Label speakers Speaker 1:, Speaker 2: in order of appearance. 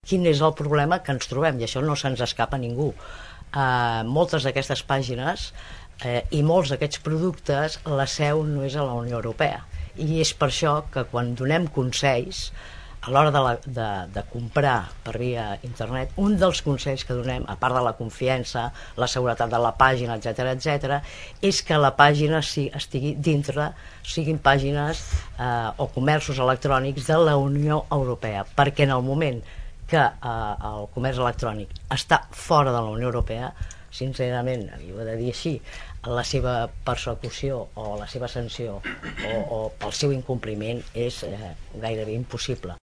Speaker 1: Quin és el problema que ens trobem? I això no se'ns escapa a ningú. Moltes d'aquestes pàgines i molts d'aquests productes, la seu no és a la Unió Europea. I és per això que quan donem consells, a l'hora de comprar per via internet, un dels consells que donem, a part de la confiança, la seguretat de la pàgina, etc., és que la pàgina estigui dintre, siguin pàgines o comerços electrònics de la Unió Europea, perquè en el moment que el comerç electrònic està fora de la Unió Europea, sincerament, i ho he de dir així, la seva persecució o la seva sanció o pel seu incompliment és gairebé impossible.